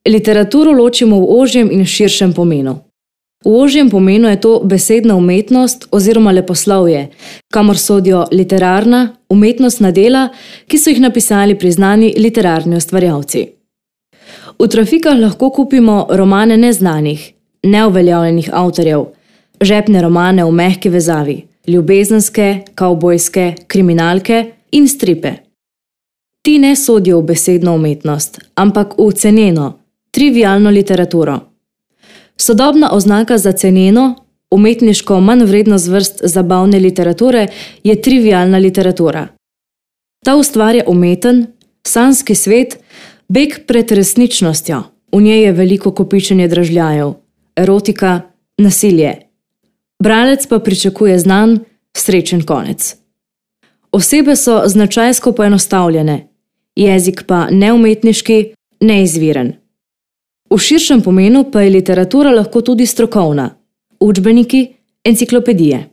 Literaturo ločimo v ožjem in širšem pomenu. V ožjem pomenu je to besedna umetnost oziroma leposlovje, kamor sodijo literarna, umetnostna dela, ki so jih napisali priznani literarni ustvarjalci. V trafikah lahko kupimo romane neznanih, neuveljavljenih avtorjev, žepne romane v mehki vezavi, ljubezenske, kavbojske, kriminalke in stripe. Ti ne sodijo v besedno umetnost, ampak v ceneno, trivialno literaturo. Sodobna oznaka za ceneno, umetniško manj vredno zvrst zabavne literature je trivialna literatura. Ta ustvarja umeten, sanjski svet, beg pred resničnostjo. V njej je veliko kopičenje dražljajev, erotika, nasilje. Bralec pa pričakuje znan, srečen konec. Osebe so značajsko poenostavljene, jezik pa neumetniški, neizviren. V širšem pomenu pa je literatura lahko tudi strokovna, učbeniki, enciklopedije.